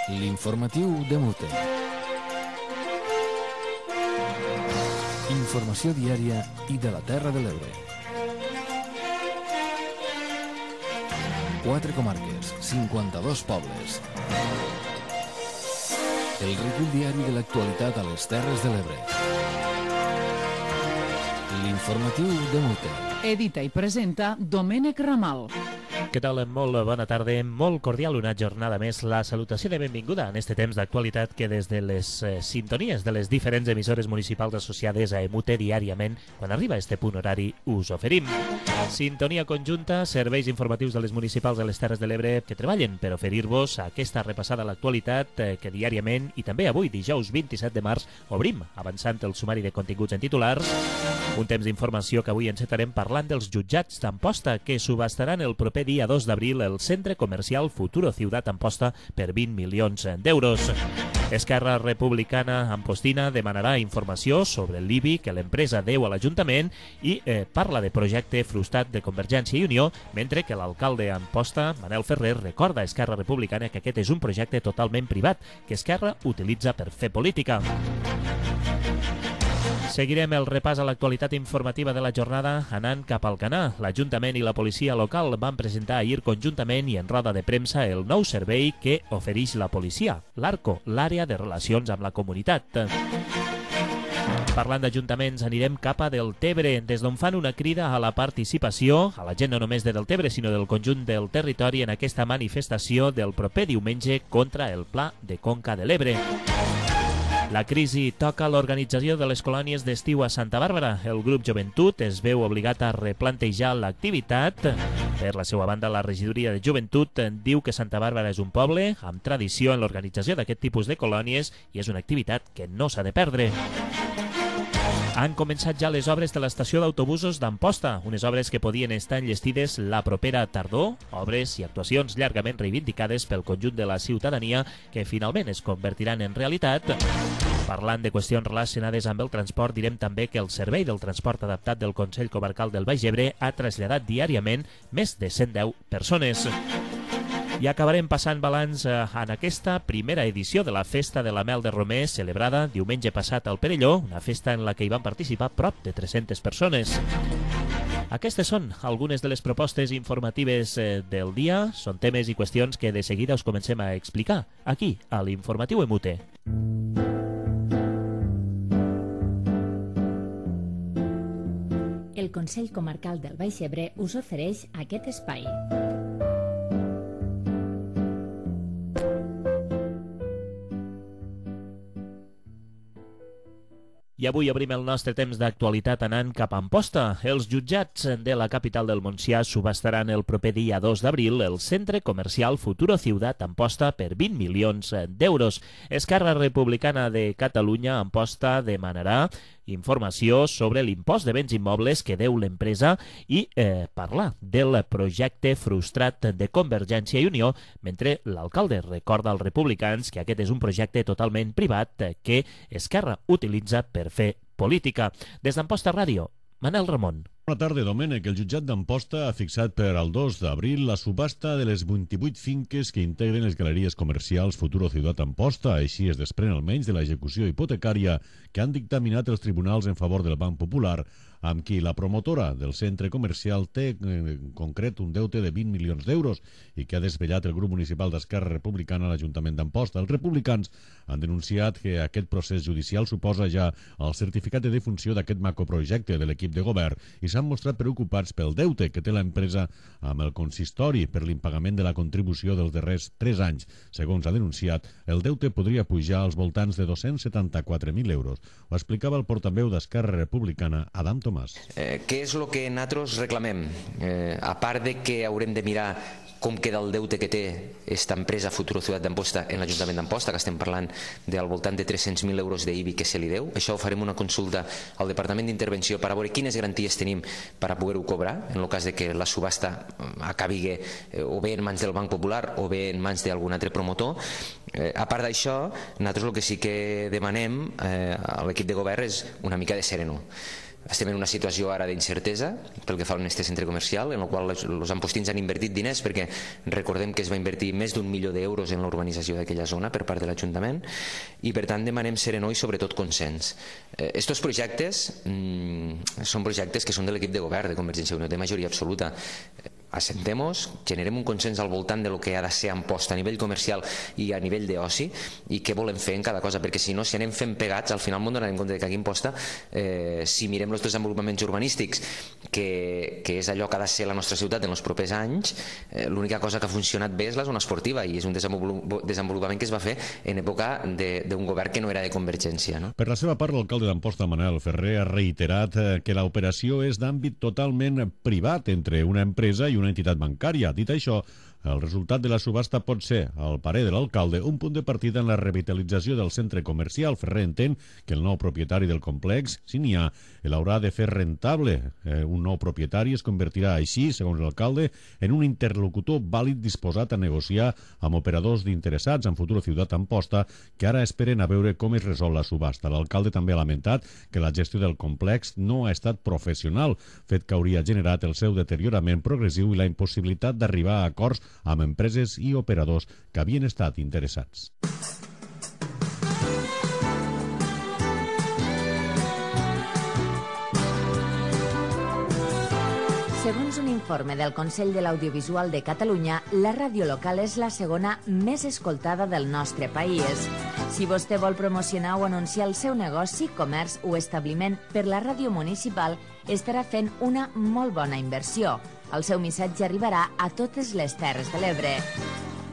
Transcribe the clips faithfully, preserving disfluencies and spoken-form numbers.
L'informatiu de Mute. Informació diària i de la Terra de l'Ebre. Quatre comarques, cinquanta-dos pobles. El recull diari de l'actualitat a les Terres de l'Ebre. L'informatiu de Mute. Edita i presenta Domènec Ramal. Què tal? Molt bona tarda, molt cordial, una jornada més. La salutació de benvinguda en este temps d'actualitat que des de les eh, sintonies de les diferents emissores municipals associades a Emute diàriament, quan arriba a este punt horari, us oferim. Sintonia conjunta, serveis informatius de les municipals de les Terres de l'Ebre que treballen per oferir-vos aquesta repassada a l'actualitat eh, que diàriament i també avui, dijous vint-i-set de març, obrim, avançant el sumari de continguts en titulars. Un temps d'informació que avui encetarem parlant dels jutjats d'Amposta que subastaran el proper dia dos d'abril el centre comercial Futuro Ciutat Amposta per vint milions d'euros. Esquerra Republicana Ampostina demanarà informació sobre l'I B I que l'empresa deu a l'Ajuntament i eh, parla de projecte frustrat de Convergència i Unió, mentre que l'alcalde Amposta, Manel Ferrer, recorda a Esquerra Republicana que aquest és un projecte totalment privat que Esquerra utilitza per fer política. Seguirem el repàs a l'actualitat informativa de la jornada anant cap al Canà. L'Ajuntament i la policia local van presentar ahir conjuntament i en roda de premsa el nou servei que ofereix la policia, l'ARCO, l'àrea de relacions amb la comunitat. Parlant d'ajuntaments, anirem cap a Deltebre, des d'on fan una crida a la participació, a la gent no només de Deltebre, sinó del conjunt del territori en aquesta manifestació del proper diumenge contra el Pla de Conca de l'Ebre. La crisi toca l'organització de les colònies d'estiu a Santa Bàrbara. El grup Joventut es veu obligat a replantejar l'activitat. Per la seva banda, la regidoria de Joventut diu que Santa Bàrbara és un poble amb tradició en l'organització d'aquest tipus de colònies i és una activitat que no s'ha de perdre. Han començat ja les obres de l'estació d'autobusos d'Amposta, unes obres que podien estar enllestides la propera tardor, obres i actuacions llargament reivindicades pel conjunt de la ciutadania que finalment es convertiran en realitat. Parlant de qüestions relacionades amb el transport, direm també que el Servei del Transport Adaptat del Consell Comarcal del Baix Ebre ha traslladat diàriament més de cent deu persones. I acabarem passant balanç en aquesta primera edició de la Festa de la Mel de Romer, celebrada diumenge passat al Perelló, una festa en la que hi van participar prop de tres-centes persones. Aquestes són algunes de les propostes informatives del dia. Són temes i qüestions que de seguida us comencem a explicar, aquí, a l'Informatiu Emute. El Consell Comarcal del Baix Ebre us ofereix aquest espai. I avui obrim el nostre temps d'actualitat anant cap a Amposta. Els jutjats de la capital del Montsià subastaran el proper dia dos d'abril el centre comercial Futuro Ciutat Amposta per vint milions d'euros. Esquerra Republicana de Catalunya Amposta demanarà informació sobre l'impost de béns immobles que deu l'empresa i eh, parlar del projecte frustrat de Convergència i Unió, mentre l'alcalde recorda als republicans que aquest és un projecte totalment privat que Esquerra utilitza per fer política. Des d'Amposta Ràdio, Manel Ramon. Bona tarda, Domènec. El jutjat d'Amposta ha fixat per al dos d'abril la subhasta de les vint-i-vuit finques que integren les galeries comercials Futuro Ciutat Amposta. Així es desprèn almenys de l'execució hipotecària que han dictaminat els tribunals en favor del Banc Popular, amb qui la promotora del centre comercial té en concret un deute de vint milions d'euros i que ha desvetllat el grup municipal d'Esquerra Republicana a l'Ajuntament d'Amposta. Els republicans han denunciat que aquest procés judicial suposa ja el certificat de defunció d'aquest macroprojecte de l'equip de govern i s'han mostrat preocupats pel deute que té l'empresa amb el consistori per l'impagament de la contribució dels darrers tres anys. Segons ha denunciat, el deute podria pujar als voltants de dos-cents setanta-quatre mil euros. Ho explicava el portaveu d'Esquerra Republicana, Adam Tomàs. Eh, què és el que nosaltres reclamem? Eh, a part de que haurem de mirar com queda el deute que té aquesta empresa Futuro Ciutat d'Amposta en l'Ajuntament d'Amposta, que estem parlant del voltant de tres-cents mil euros d'I B I que se li deu. Això farem una consulta al Departament d'Intervenció per a veure quines garanties tenim per a poder-ho cobrar en el cas de que la subhasta acabi o bé en mans del Banc Popular o bé en mans d'algun altre promotor. Eh, a part d'això, nosaltres el que sí que demanem eh, a l'equip de govern és una mica de sereno. Estem en una situació ara d'incertesa pel que fa a este centre comercial, en el qual els ampostins han invertit diners, perquè recordem que es va invertir més d'un milió d'euros en la urbanització d'aquella zona per part de l'Ajuntament, i per tant demanem serenor i sobretot consens. Estos projectes mmm, són projectes que són de l'equip de govern de Convergència i Unió, de majoria absoluta. Assentem-nos, generem un consens al voltant de lo que ha de ser Amposta a nivell comercial i a nivell d'oci, i què volem fer en cada cosa, perquè si no, si anem fent pegats, al final m'ho donarem compte que aquí a Amposta, eh, si mirem els desenvolupaments urbanístics, que, que és allò que ha de ser la nostra ciutat en els propers anys, eh, l'única cosa que ha funcionat bé és la zona esportiva, i és un desenvolupament que es va fer en època d'un govern que no era de Convergència. No? Per la seva part, l'alcalde d'Amposta, Manel Ferrer, ha reiterat que l'operació és d'àmbit totalment privat entre una empresa i una una entitat bancària. Dit això, el resultat de la subhasta pot ser, al parer de l'alcalde, un punt de partida en la revitalització del centre comercial. Ferrer entén que el nou propietari del complex, si n'hi ha, l'haurà de fer rentable. Eh, un nou propietari es convertirà així, segons l'alcalde, en un interlocutor vàlid disposat a negociar amb operadors d'interessats en Futuro Ciutat Amposta, que ara esperen a veure com es resol la subhasta. L'alcalde també ha lamentat que la gestió del complex no ha estat professional, fet que hauria generat el seu deteriorament progressiu i la impossibilitat d'arribar a acords amb empreses i operadors que havien estat interessats. Segons un informe del Consell de l'Audiovisual de Catalunya, la ràdio local és la segona més escoltada del nostre país. Si vostè vol promocionar o anunciar el seu negoci, comerç o establiment per la ràdio municipal, estarà fent una molt bona inversió. El seu missatge arribarà a totes les Terres de l'Ebre.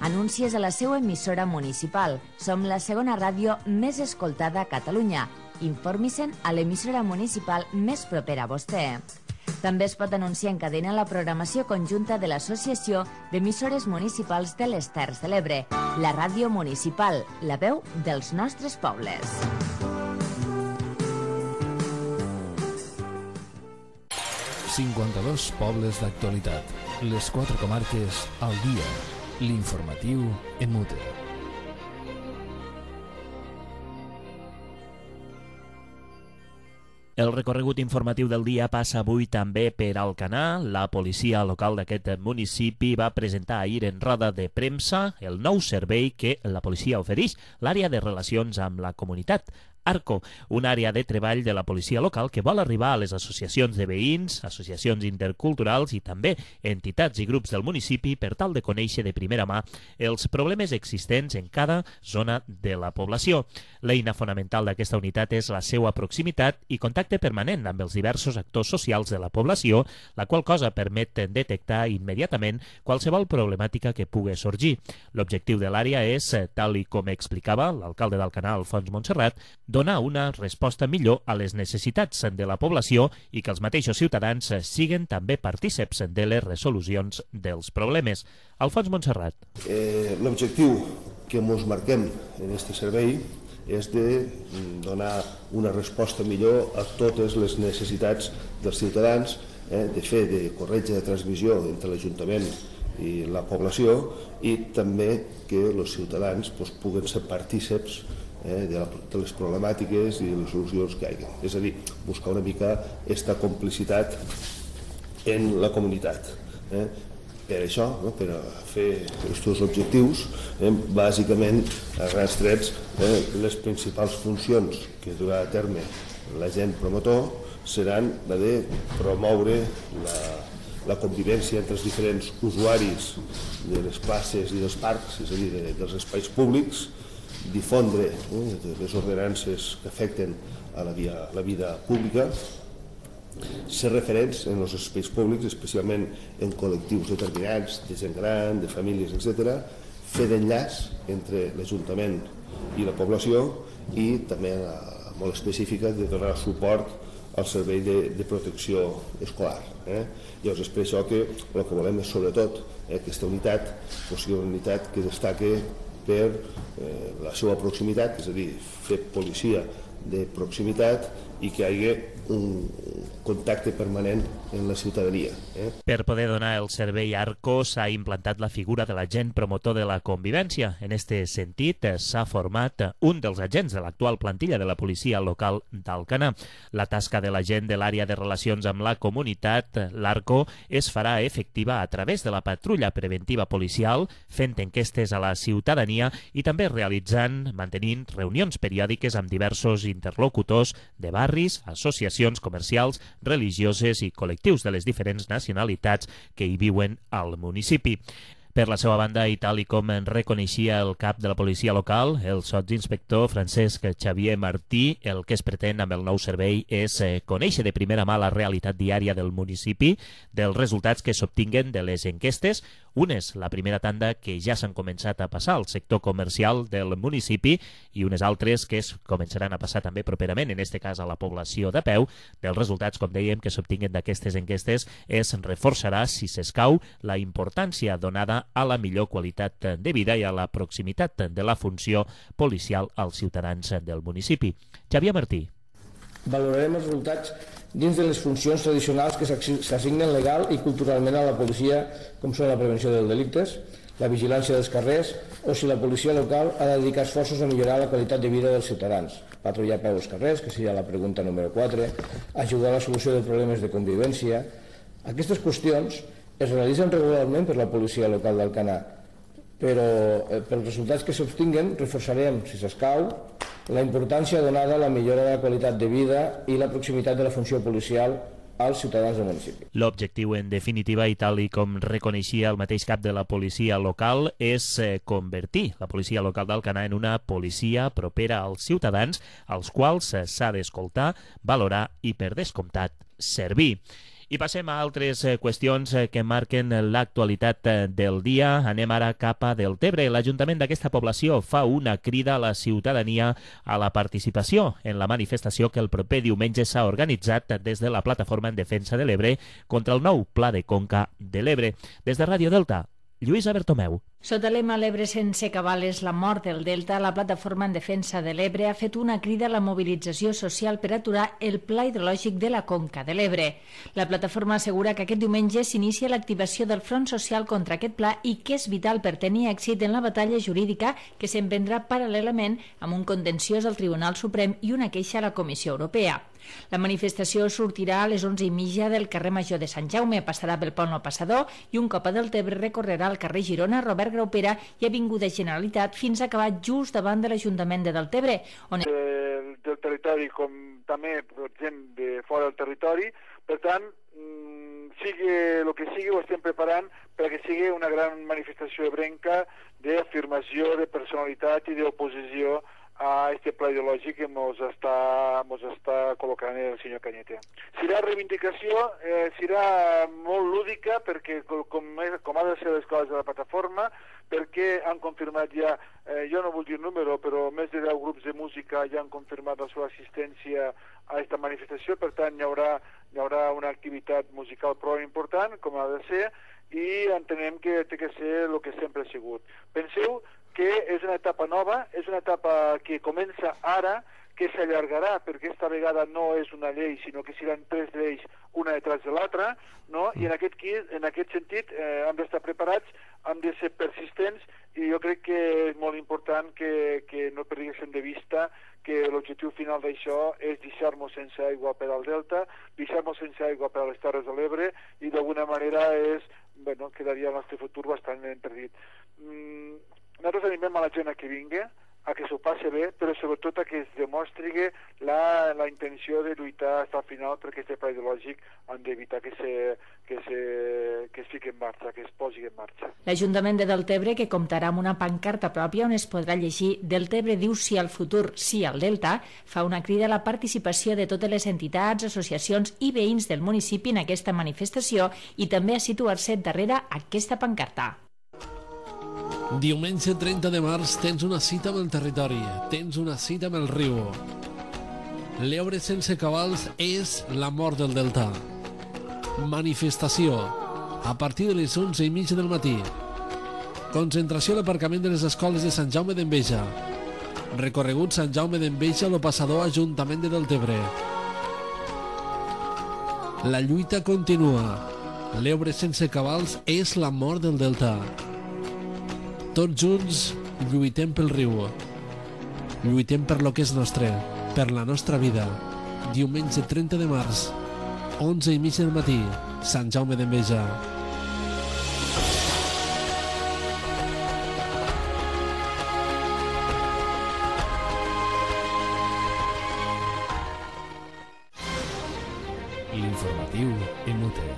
Anuncies a la seva emissora municipal. Som la segona ràdio més escoltada a Catalunya. Informi-se'n a l'emissora municipal més propera a vostè. També es pot anunciar en cadena la programació conjunta de l'Associació d'Emissores Municipals de les Terres de l'Ebre, la ràdio municipal, la veu dels nostres pobles. cinquanta-dos pobles d'actualitat. Les quatre comarques al dia. L'informatiu en mute. El recorregut informatiu del dia passa avui també per Alcanar. La policia local d'aquest municipi va presentar ahir en roda de premsa el nou servei que la policia ofereix, l'àrea de relacions amb la comunitat. Arco, una àrea de treball de la policia local que vol arribar a les associacions de veïns, associacions interculturals i també entitats i grups del municipi per tal de conèixer de primera mà els problemes existents en cada zona de la població. L'eina fonamental d'aquesta unitat és la seva proximitat i contacte permanent amb els diversos actors socials de la població, la qual cosa permet detectar immediatament qualsevol problemàtica que pugui sorgir. L'objectiu de l'àrea és, tal i com explicava l'alcalde d'Alcanar, Alfons Montserrat, donar una resposta millor a les necessitats de la població i que els mateixos ciutadans siguen també partíceps de les resolucions dels problemes. Alfons Montserrat. Eh, L'objectiu que ens marquem en aquest servei és de donar una resposta millor a totes les necessitats dels ciutadans, eh, de fer de corretja de transmissió entre l'Ajuntament i la població, i també que els ciutadans pues, puguen ser partíceps Eh, de, la, de les problemàtiques i de les solucions que hi ha. És a dir, buscar una mica aquesta complicitat en la comunitat. Eh. Per això, no, per fer aquests objectius, eh, bàsicament, a grans trets, eh, les principals funcions que durà a terme l'agent promotor seran la de promoure la, la convivència entre els diferents usuaris de les places i dels parcs, és a dir, de, dels espais públics, difondre eh, les ordenances que afecten a la, via, la vida pública, ser referents en els espais públics, especialment en col·lectius determinats, de gent gran, de famílies, etcètera, fer d'enllaç entre l'Ajuntament i la població i també a, molt específica de donar suport al servei de, de protecció escolar. Eh? Llavors és per això que el que volem és sobretot eh, aquesta unitat, o sigui, una unitat que destaque per eh, la seva proximitat, és a dir, fer policia de proximitat i que hi hagi un contacte permanent en la ciutadania. Eh? Per poder donar el servei Arco s'ha implantat la figura de l'agent promotor de la convivència. En aquest sentit, s'ha format un dels agents de l'actual plantilla de la policia local d'Alcanar. La tasca de l'agent de l'àrea de relacions amb la comunitat, l'Arco, es farà efectiva a través de la patrulla preventiva policial, fent enquestes a la ciutadania i també realitzant, mantenint reunions periòdiques amb diversos interlocutors de barris, associacions comercials, religioses i col·lectius de les diferents nacionalitats que hi viuen al municipi. Per la seva banda, i tal i com en reconeixia el cap de la policia local, el sotsinspector Francesc Xavier Martí, el que es pretén amb el nou servei és eh, conèixer de primera mà la realitat diària del municipi, dels resultats que s'obtinguen de les enquestes, unes, la primera tanda, que ja s'han començat a passar al sector comercial del municipi i unes altres que es començaran a passar també properament, en aquest cas a la població de peu. Dels resultats, com dèiem, que s'obtinguen d'aquestes enquestes es reforçarà, si s'escau, la importància donada a la millor qualitat de vida i a la proximitat de la funció policial als ciutadans del municipi. Xavier Martí. Valorarem els resultats dins de les funcions tradicionals que s'assignen legal i culturalment a la policia, com són la prevenció dels delictes, la vigilància dels carrers, o si la policia local ha de dedicar esforços a millorar la qualitat de vida dels ciutadans, patrullar a peu als carrers, que seria la pregunta número quatre, ajudar a la solució de problemes de convivència. Aquestes qüestions es realitzen regularment per la policia local d'Alcanar, però eh, pels resultats que s'obtinguen reforçarem, si s'escau, la importància donada a la millora de la qualitat de vida i la proximitat de la funció policial als ciutadans del municipi. L'objectiu, en definitiva, i tal i com reconeixia el mateix cap de la policia local, és eh, convertir la policia local d'Alcanar en una policia propera als ciutadans, als quals s'ha d'escoltar, valorar i, per descomptat, servir. I passem a altres qüestions que marquen l'actualitat del dia. Anem ara cap a Deltebre. L'Ajuntament d'aquesta població fa una crida a la ciutadania a la participació en la manifestació que el proper diumenge s'ha organitzat des de la Plataforma en Defensa de l'Ebre contra el nou Pla de Conca de l'Ebre. Des de Ràdio Delta, Lluïsa Bertomeu. Sota lema l'Ebre sense cabales, la mort del Delta, la Plataforma en Defensa de l'Ebre ha fet una crida a la mobilització social per aturar el pla hidrològic de la Conca de l'Ebre. La plataforma assegura que aquest diumenge s'inicia l'activació del front social contra aquest pla i que és vital per tenir èxit en la batalla jurídica que s'emprendrà paral·lelament amb un contenciós al Tribunal Suprem i una queixa a la Comissió Europea. La manifestació sortirà a les onze i mitja del carrer Major de Sant Jaume, passarà pel Pont El Passador i un cop a Deltebre recorrerà el carrer Girona, Robert Graupera i Avinguda Generalitat fins a acabar just davant de l'Ajuntament de Deltebre. On... Del, del territori com també gent de fora del territori, per tant, sigui el que sigui, ho estem preparant perquè sigui una gran manifestació ebrenca d'afirmació, de personalitat i d'oposició a aquest pla ideològic que ens està, mos està col·locant el senyor Cañete. Serà reivindicació, eh, serà molt lúdica perquè com, com ha de ser les coses de la plataforma, perquè han confirmat ja, eh, jo no vull dir número, però més de deu grups de música ja han confirmat la seva assistència a aquesta manifestació, per tant hi haurà, hi haurà una activitat musical prou important, com ha de ser, i entenem que té que ser el que sempre ha sigut. Penseu que és una etapa nova, és una etapa que comença ara, que s'allargarà, perquè aquesta vegada no és una llei, sinó que seran tres lleis, una detrás de l'altra, no? I en aquest, en aquest sentit eh, hem d'estar preparats, hem de ser persistents, i jo crec que és molt important que, que no perdéssim de vista que l'objectiu final d'això és deixar-nos sense aigua per al Delta, deixar-nos sense aigua per a les Terres de l'Ebre, i d'alguna manera és, bueno, quedaria el nostre futur bastant entredit. Mm, nosaltres animem a la gent a que vingui, a que s'ho passi bé, però sobretot a que es demostri la, la intenció de lluitar fins al final perquè aquest pla ideològic han d'evitar que, se, que, se, que es fiqui en marxa, que es posi en marxa. L'Ajuntament de Deltebre, que comptarà amb una pancarta pròpia on es podrà llegir Deltebre diu sí al futur, sí al Delta, fa una crida a la participació de totes les entitats, associacions i veïns del municipi en aquesta manifestació i també a situar-se darrere aquesta pancarta. Diumenge trenta de març tens una cita amb el territori, tens una cita amb el riu. L'Ebre sense cabals és la mort del Delta. Manifestació a partir de les onze i mitja del matí. Concentració a l'aparcament de les escoles de Sant Jaume d'Enveja. Recorregut Sant Jaume d'Enveja lo passador Ajuntament de Deltebre. La lluita continua. L'Ebre sense cabals és la mort del Delta. Tots junts lluitem pel riu. Lluitem per lo que és nostre, per la nostra vida. Diumenge trenta de març, onze i mig del matí, Sant Jaume d'Enveja. L'informatiu en U T.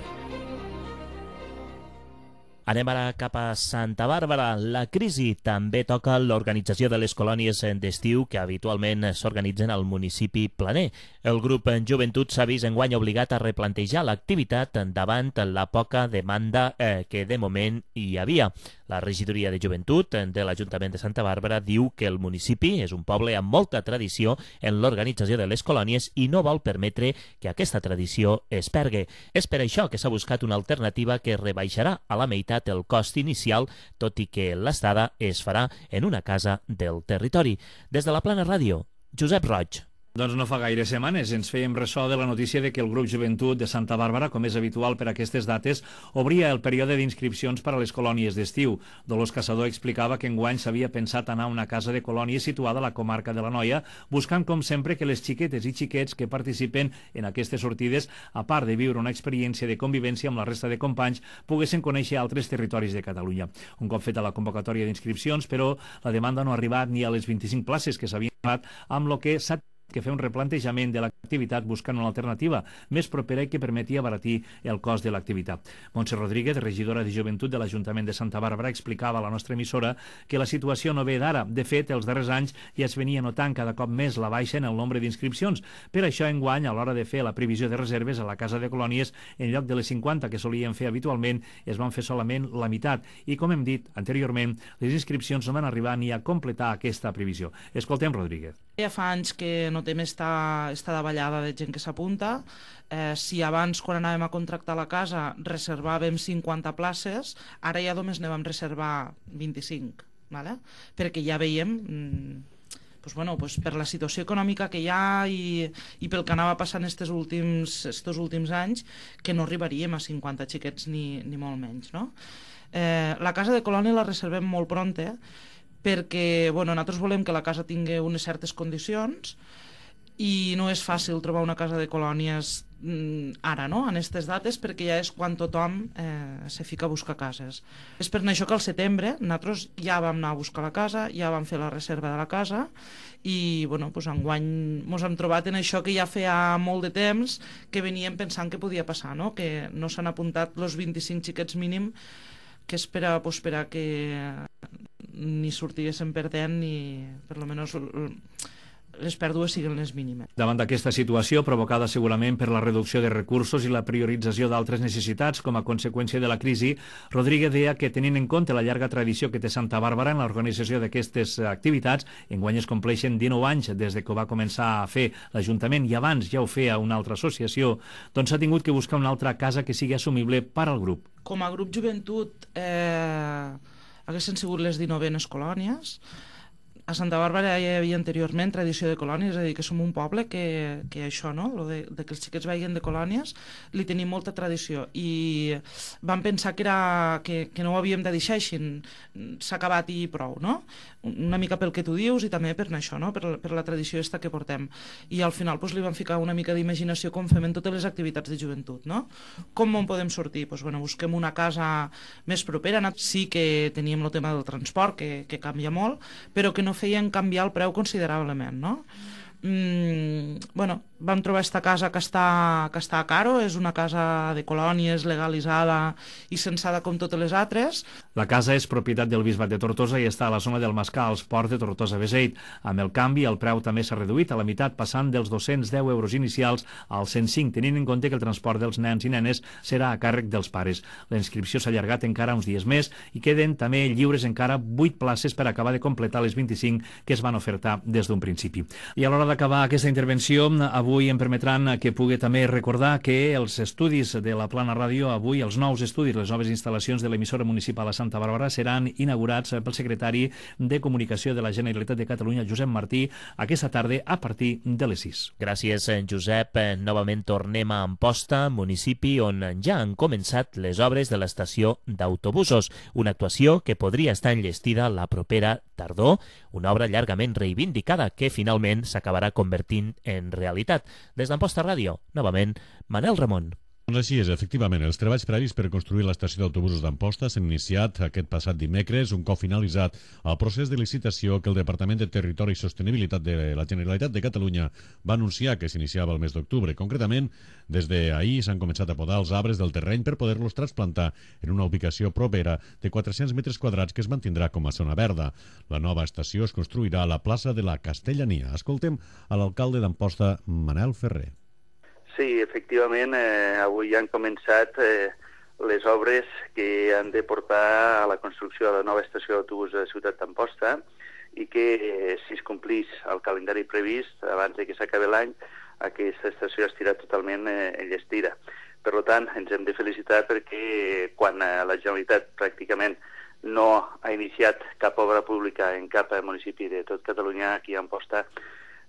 Anem ara cap a Santa Bàrbara. La crisi també toca l'organització de les colònies d'estiu que habitualment s'organitzen al municipi planer. El grup Joventut s'ha vist enguany obligat a replantejar l'activitat davant la poca demanda eh, que de moment hi havia. La regidoria de Joventut de l'Ajuntament de Santa Bàrbara diu que el municipi és un poble amb molta tradició en l'organització de les colònies i no vol permetre que aquesta tradició es pergui. És per això que s'ha buscat una alternativa que rebaixarà a la meitat el cost inicial, tot i que l'estada es farà en una casa del territori. Des de la Plana Ràdio, Josep Roig. Doncs no fa gaire setmanes ens fèiem ressò de la notícia de que el grup Joventut de Santa Bàrbara, com és habitual per aquestes dates, obria el període d'inscripcions per a les colònies d'estiu. Dolors Caçador explicava que enguany s'havia pensat anar a una casa de colònies situada a la comarca de l'Anoia, buscant com sempre que les xiquetes i xiquets que participen en aquestes sortides, a part de viure una experiència de convivència amb la resta de companys, poguessin conèixer altres territoris de Catalunya. Un cop feta la convocatòria d'inscripcions, però, la demanda no ha arribat ni a les vint-i-cinc places que s'havien donat, amb lo que s'ha que fer un replantejament de l'activitat buscant una alternativa més propera i que permeti abaratir el cost de l'activitat. Montse Rodríguez, regidora de Joventut de l'Ajuntament de Santa Bàrbara, explicava a la nostra emissora que la situació no ve d'ara. De fet, els darrers anys ja es venia notant cada cop més la baixa en el nombre d'inscripcions. Per això, enguany, a l'hora de fer la previsió de reserves a la Casa de Colònies, en lloc de les cinquanta que solien fer habitualment, es van fer solament la meitat. I, com hem dit anteriorment, les inscripcions no van arribar ni a completar aquesta previsió. Escoltem Rodríguez. Ja fa anys que notem esta, esta davallada de gent que s'apunta. Eh, si abans, quan anàvem a contractar la casa, reservàvem cinquanta places, ara ja només ne vam reservar vint-i-cinc, ¿vale? Perquè ja veiem, mm, pues bueno, pues per la situació econòmica que hi ha i, i pel que anava passant estos últims, estos últims anys, que no arribaríem a cinquanta xiquets ni, ni molt menys, no? Eh, la casa de colònia la reservem molt pronta, eh? perquè bueno, nosaltres volem que la casa tingui unes certes condicions i no és fàcil trobar una casa de colònies mm, ara, no?, en aquestes dates, perquè ja és quan tothom eh, se fica a buscar cases. És per això que al setembre nosaltres ja vam anar a buscar la casa, ja vam fer la reserva de la casa i bueno, doncs enguany ens hem trobat en això que ja feia molt de temps que veníem pensant que podia passar, no?, que no s'han apuntat els vint-i-cinc xiquets mínim que és per a, pues, per a que ni sortiguessin perdent ni per lo menos les pèrdues siguin les mínimes. Davant d'aquesta situació, provocada segurament per la reducció de recursos i la priorització d'altres necessitats com a conseqüència de la crisi, Rodríguez deia que, tenint en compte la llarga tradició que té Santa Bàrbara en l'organització d'aquestes activitats, enguany es compleixen dinou anys des de que ho va començar a fer l'Ajuntament i abans ja ho feia una altra associació, doncs s'ha tingut que buscar una altra casa que sigui assumible per al grup. Com a grup Joventut eh, haguessin sigut les dinou-enes colònies. A Santa Bàrbara hi havia anteriorment tradició de colònies, és a dir, que som un poble que, que això, no?, lo de, de que els xiquets vagin de colònies, li tenim molta tradició i vam pensar que, era, que, que no ho havíem de deixar així, s'ha acabat i prou, no? Una mica pel que tu dius i també per això, no?, per, per la tradició esta que portem. I al final pues, li vam ficar una mica d'imaginació com fem en totes les activitats de joventut, no? Com en podem sortir? Pues, bueno, busquem una casa més propera. Sí que teníem el tema del transport, que, que canvia molt, però que no feien canviar el preu considerablement, no? Mm, bueno, vam trobar esta casa que està, que està a Caro, és una casa de colònies legalitzada i censada com totes les altres. La casa és propietat del Bisbat de Tortosa i està a la zona del Mascar, als ports de Tortosa-Beseit. Amb el canvi, el preu també s'ha reduït a la meitat, passant dels dos-cents deu euros inicials als cent cinc, tenint en compte que el transport dels nens i nenes serà a càrrec dels pares. La inscripció s'ha allargat encara uns dies més i queden també lliures encara vuit places per acabar de completar les vint-i-cinc que es van ofertar des d'un principi. I a l'hora de acabar aquesta intervenció, avui em permetran que pugui també recordar que els estudis de la Plana Ràdio, avui els nous estudis, les noves instal·lacions de l'emissora municipal a Santa Bàrbara seran inaugurats pel secretari de Comunicació de la Generalitat de Catalunya, Josep Martí, aquesta tarda a partir de les sis. Gràcies, Josep. Novament tornem a Amposta, municipi on ja han començat les obres de l'estació d'autobusos, una actuació que podria estar enllestida la propera tardor, una obra llargament reivindicada que finalment s'acabarà convertint en realitat. Des d'Amposta Ràdio, novament, Manel Ramon. Doncs així és, efectivament. Els treballs previs per construir l'estació d'autobusos d'Amposta s'han iniciat aquest passat dimecres, un cop finalitzat el procés de licitació que el Departament de Territori i Sostenibilitat de la Generalitat de Catalunya va anunciar que s'iniciava el mes d'octubre. Concretament, des d'ahir s'han començat a podar els arbres del terreny per poder-los transplantar en una ubicació propera de quatre-cents metres quadrats que es mantindrà com a zona verda. La nova estació es construirà a la plaça de la Castellania. Escoltem a l'alcalde d'Amposta, Manel Ferrer. Sí, efectivament, eh, avui han començat eh, les obres que han de portar a la construcció de la nova estació d'autobús de la ciutat d'Amposta i que, eh, si es complís el calendari previst, abans de que s'acabi l'any, aquesta estació estirà totalment eh, enllestida. Per tant, ens hem de felicitar perquè eh, quan eh, la Generalitat pràcticament no ha iniciat cap obra pública en cap municipi de tot Catalunya, aquí a Amposta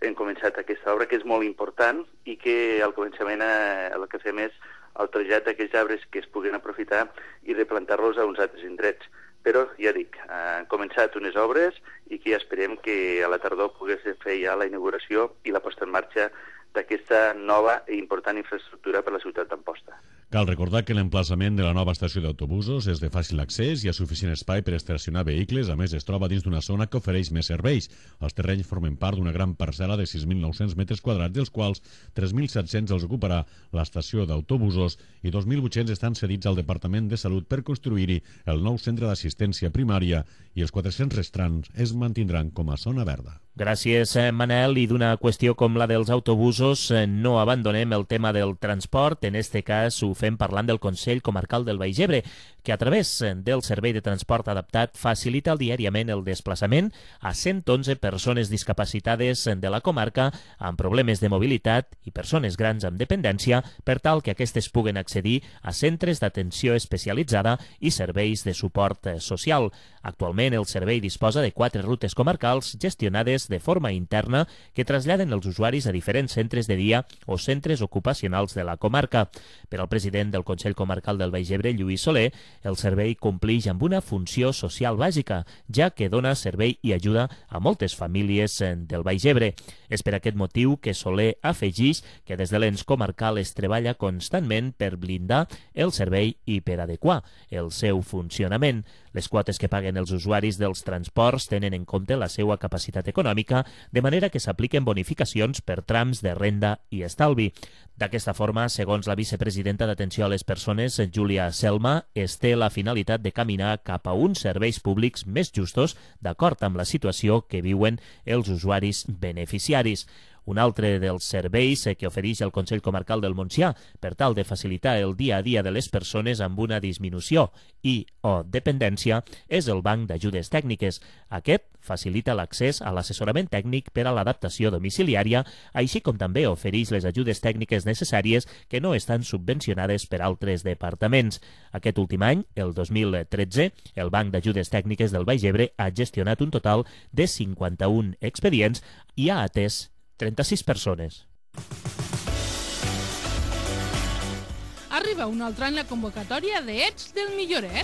hem començat aquesta obra, que és molt important i que al començament eh, el que fem és el trasllat d'aquells arbres que es puguen aprofitar i replantar-los a uns altres indrets. Però, ja dic, eh, han començat unes obres i que ja esperem que a la tardor pogués fer ja la inauguració i la posta en marxa d'aquesta nova i important infraestructura per a la ciutat d'Amposta. Cal recordar que l'emplaçament de la nova estació d'autobusos és de fàcil accés, hi ha suficient espai per estacionar vehicles, a més es troba dins d'una zona que ofereix més serveis. Els terrenys formen part d'una gran parcel·la de sis mil nou-cents metres quadrats, dels quals tres mil set-cents els ocuparà l'estació d'autobusos i dos mil vuit-cents estan cedits al Departament de Salut per construir-hi el nou centre d'assistència primària i els quatre-cents restants es mantindran com a zona verda. Gràcies, Manel. I d'una qüestió com la dels autobusos, no abandonem el tema del transport. En este cas ho fem parlant del Consell Comarcal del Baix Ebre, que a través del Servei de Transport Adaptat facilita diàriament el desplaçament a cent onze persones discapacitades de la comarca amb problemes de mobilitat i persones grans amb dependència per tal que aquestes puguen accedir a centres d'atenció especialitzada i serveis de suport social. Actualment el servei disposa de quatre rutes comarcals gestionades de forma interna que traslladen els usuaris a diferents centres de dia o centres ocupacionals de la comarca. Per al president del Consell Comarcal del Baix Ebre, Lluís Soler, el servei compleix amb una funció social bàsica, ja que dona servei i ajuda a moltes famílies del Baix Ebre. És per aquest motiu que Soler afegeix que des de l'ens comarcal es treballa constantment per blindar el servei i per adequar el seu funcionament. Les quotes que paguen els usuaris dels transports tenen en compte la seva capacitat econòmica, de manera que s'apliquen bonificacions per trams de renda i estalvi. D'aquesta forma, segons la vicepresidenta d'Atenció a les Persones, Júlia Selma, es té la finalitat de caminar cap a uns serveis públics més justos d'acord amb la situació que viuen els usuaris beneficiaris. Un altre dels serveis que ofereix el Consell Comarcal del Montsià per tal de facilitar el dia a dia de les persones amb una disminució i o dependència és el Banc d'Ajudes Tècniques. Aquest facilita l'accés a l'assessorament tècnic per a l'adaptació domiciliària, així com també ofereix les ajudes tècniques necessàries que no estan subvencionades per altres departaments. Aquest últim any, el dos mil tretze, el Banc d'Ajudes Tècniques del Baix Ebre ha gestionat un total de cinquanta-un expedients i ha atès trenta-sis persones. Arriba un altre any la convocatòria d'Ets del Milloret.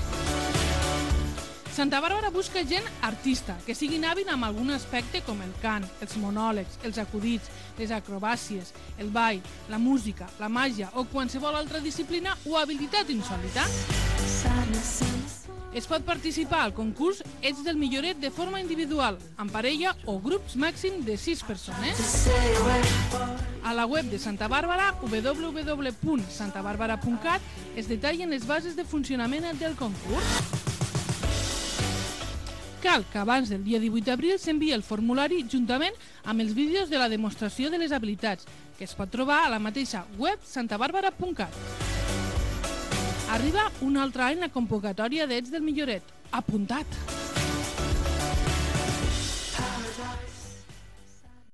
Santa Bàrbara busca gent artista, que siguin hàbil amb algun aspecte com el cant, els monòlegs, els acudits, les acrobàcies, el ball, la música, la màgia o qualsevol altra disciplina o habilitat insòlita. Es pot participar al concurs Ets del Milloret de forma individual, en parella o grups màxim de sis persones. A la web de Santa Bàrbara, w w w punt santa bàrbara punt cat, es detallen les bases de funcionament del concurs. Cal que abans del dia divuit d'abril s'enviï el formulari juntament amb els vídeos de la demostració de les habilitats, que es pot trobar a la mateixa web santa bàrbara punt cat. Arriba un altre any la convocatòria d'Ets del Milloret. Apuntat!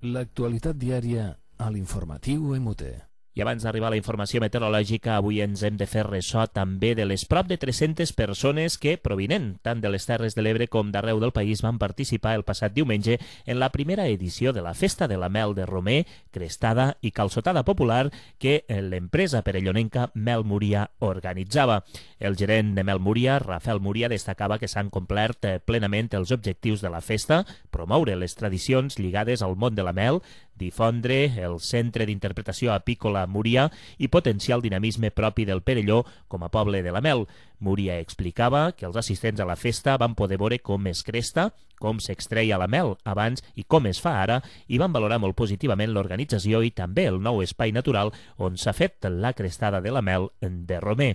L'actualitat diària a l'informatiu M U T. I abans d'arribar a la informació meteorològica, avui ens hem de fer ressò també de les prop de tres-centes persones que, provinent tant de les Terres de l'Ebre com d'arreu del país, van participar el passat diumenge en la primera edició de la Festa de la Mel de Romer, Crestada i Calçotada Popular que l'empresa perellonenca Mel Múria organitzava. El gerent de Mel Múria, Rafael Múria, destacava que s'han complert plenament els objectius de la festa, promoure les tradicions lligades al món de la mel, difondre el Centre d'Interpretació Apícola Múria i potenciar el dinamisme propi del Perelló com a poble de la mel. Múria explicava que els assistents a la festa van poder veure com es cresta, com s'extreia la mel abans i com es fa ara, i van valorar molt positivament l'organització i també el nou espai natural on s'ha fet la crestada de la mel de Romer.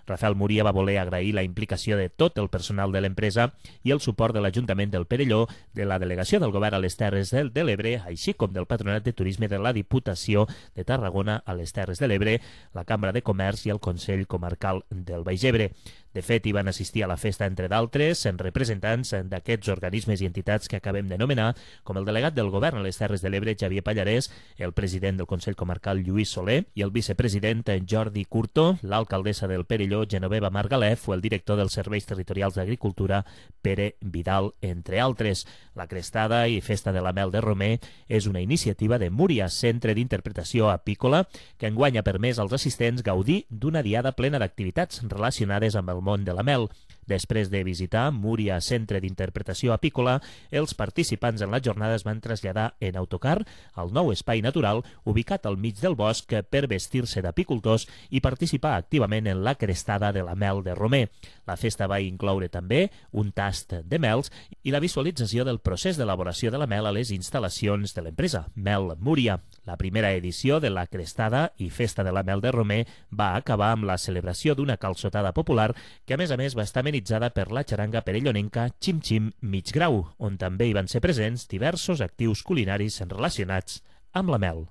Rafael Múria va voler agrair la implicació de tot el personal de l'empresa i el suport de l'Ajuntament del Perelló, de la Delegació del Govern a les Terres de l'Ebre, així com del Patronat de Turisme de la Diputació de Tarragona a les Terres de l'Ebre, la Cambra de Comerç i el Consell Comarcal del Baix Ebre. De fet, hi van assistir a la festa, entre d'altres, en representants d'aquests organismes i entitats que acabem d'anomenar, com el delegat del Govern a les Terres de l'Ebre, Xavier Pallarès, el president del Consell Comarcal, Lluís Soler, i el vicepresident, Jordi Curto, l'alcaldessa del Perelló, Genoveva Margalef, o el director dels Serveis Territorials d'Agricultura, Pere Vidal, entre altres. La Crestada i Festa de la Mel de Romer és una iniciativa de Múria, Centre d'Interpretació Apícola, que enguany ha permès als assistents gaudir d'una diada plena d'activitats relacionades amb el món de la mel. Després de visitar Múria, Centre d'Interpretació Apícola, els participants en la jornada es van traslladar en autocar al nou espai natural ubicat al mig del bosc per vestir-se d'apicultors i participar activament en la crestada de la mel de Romer. La festa va incloure també un tast de mels i la visualització del procés d'elaboració de la mel a les instal·lacions de l'empresa Mel Múria. La primera edició de la Crestada i Festa de la Mel de Romer va acabar amb la celebració d'una calçotada popular que a més a més va estar amenitzada per la xaranga perellonenca Xim Xim Mig Grau, on també hi van ser presents diversos actius culinaris relacionats amb la mel.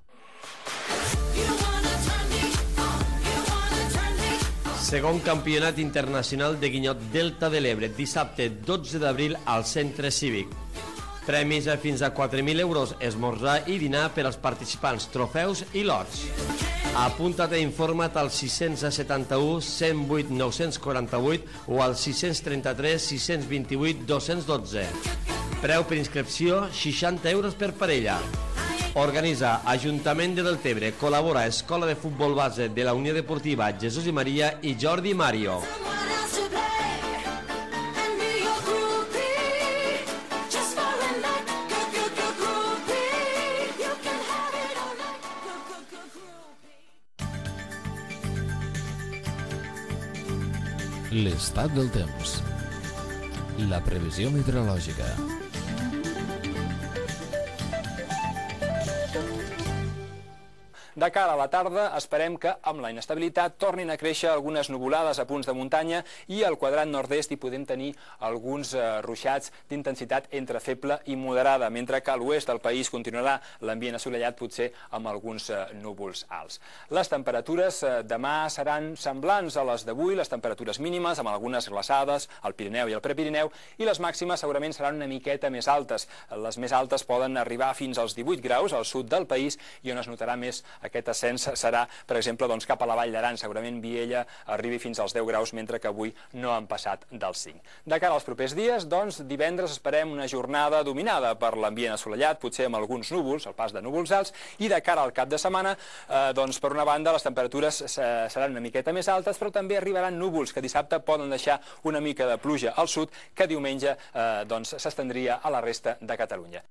Segon Campionat Internacional de Guinyot Delta de l'Ebre, dissabte dotze d'abril al Centre Cívic. Premis a fins a quatre mil euros, esmorzar i dinar per als participants, trofeus i lots. Apunta't i informa't al sis setanta-u, cent vuit, nou cents quaranta-vuit o al sis trenta-tres, sis vint-i-vuit, dos cents dotze. Preu per inscripció, seixanta euros per parella. Organitza Ajuntament de Deltebre, col·labora Escola de Futbol Base de la Unió Deportiva Jesús i Maria i Jordi Mario. L'estat del temps. La previsió meteorològica. De cara a la tarda, esperem que amb la inestabilitat tornin a créixer algunes nuvolades a punts de muntanya i al quadrat nord-est hi podem tenir alguns eh, ruixats d'intensitat entre feble i moderada, mentre que a l'oest del país continuarà l'ambient assolellat, potser amb alguns eh, núvols alts. Les temperatures eh, demà seran semblants a les d'avui, les temperatures mínimes amb algunes glaçades al Pirineu i al Prepirineu, i les màximes segurament seran una miqueta més altes. Les més altes poden arribar fins als divuit graus al sud del país, i on es notarà més aquest ascens serà, per exemple, doncs, cap a la Vall d'Aran. Segurament Viella arribi fins als deu graus, mentre que avui no han passat dels cinc. De cara als propers dies, doncs, divendres esperem una jornada dominada per l'ambient assolellat, potser amb alguns núvols, el pas de núvols alts, i de cara al cap de setmana, eh, doncs, per una banda, les temperatures seran una miqueta més altes, però també arribaran núvols que dissabte poden deixar una mica de pluja al sud, que diumenge eh, doncs, s'estendria a la resta de Catalunya.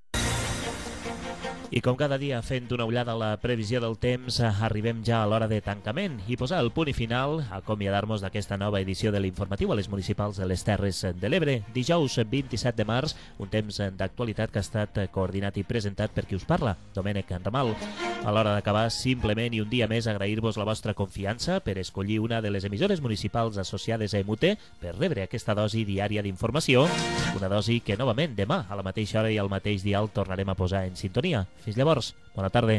I com cada dia, fent una ullada a la previsió del temps, arribem ja a l'hora de tancament i posar el punt i final, acomiadar-nos d'aquesta nova edició de l'informatiu a les municipals de les Terres de l'Ebre. Dijous vint-i-set de març, un temps d'actualitat que ha estat coordinat i presentat per qui us parla, Domènec Ramal. A l'hora d'acabar, simplement i un dia més agrair-vos la vostra confiança per escollir una de les emissores municipals associades a M U T per rebre aquesta dosi diària d'informació, una dosi que novament demà a la mateixa hora i al mateix dial tornarem a posar en sintonia. Fins llavors, bona tarda.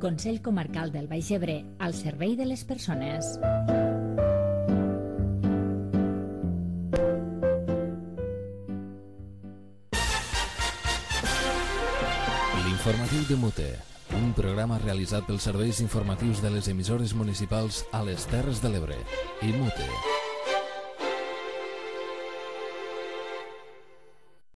Consell Comarcal del Baix Ebre, al servei de les persones. L'informatiu de Mute, un programa realitzat pels serveis informatius de les emissores municipals a les Terres de l'Ebre i Mute.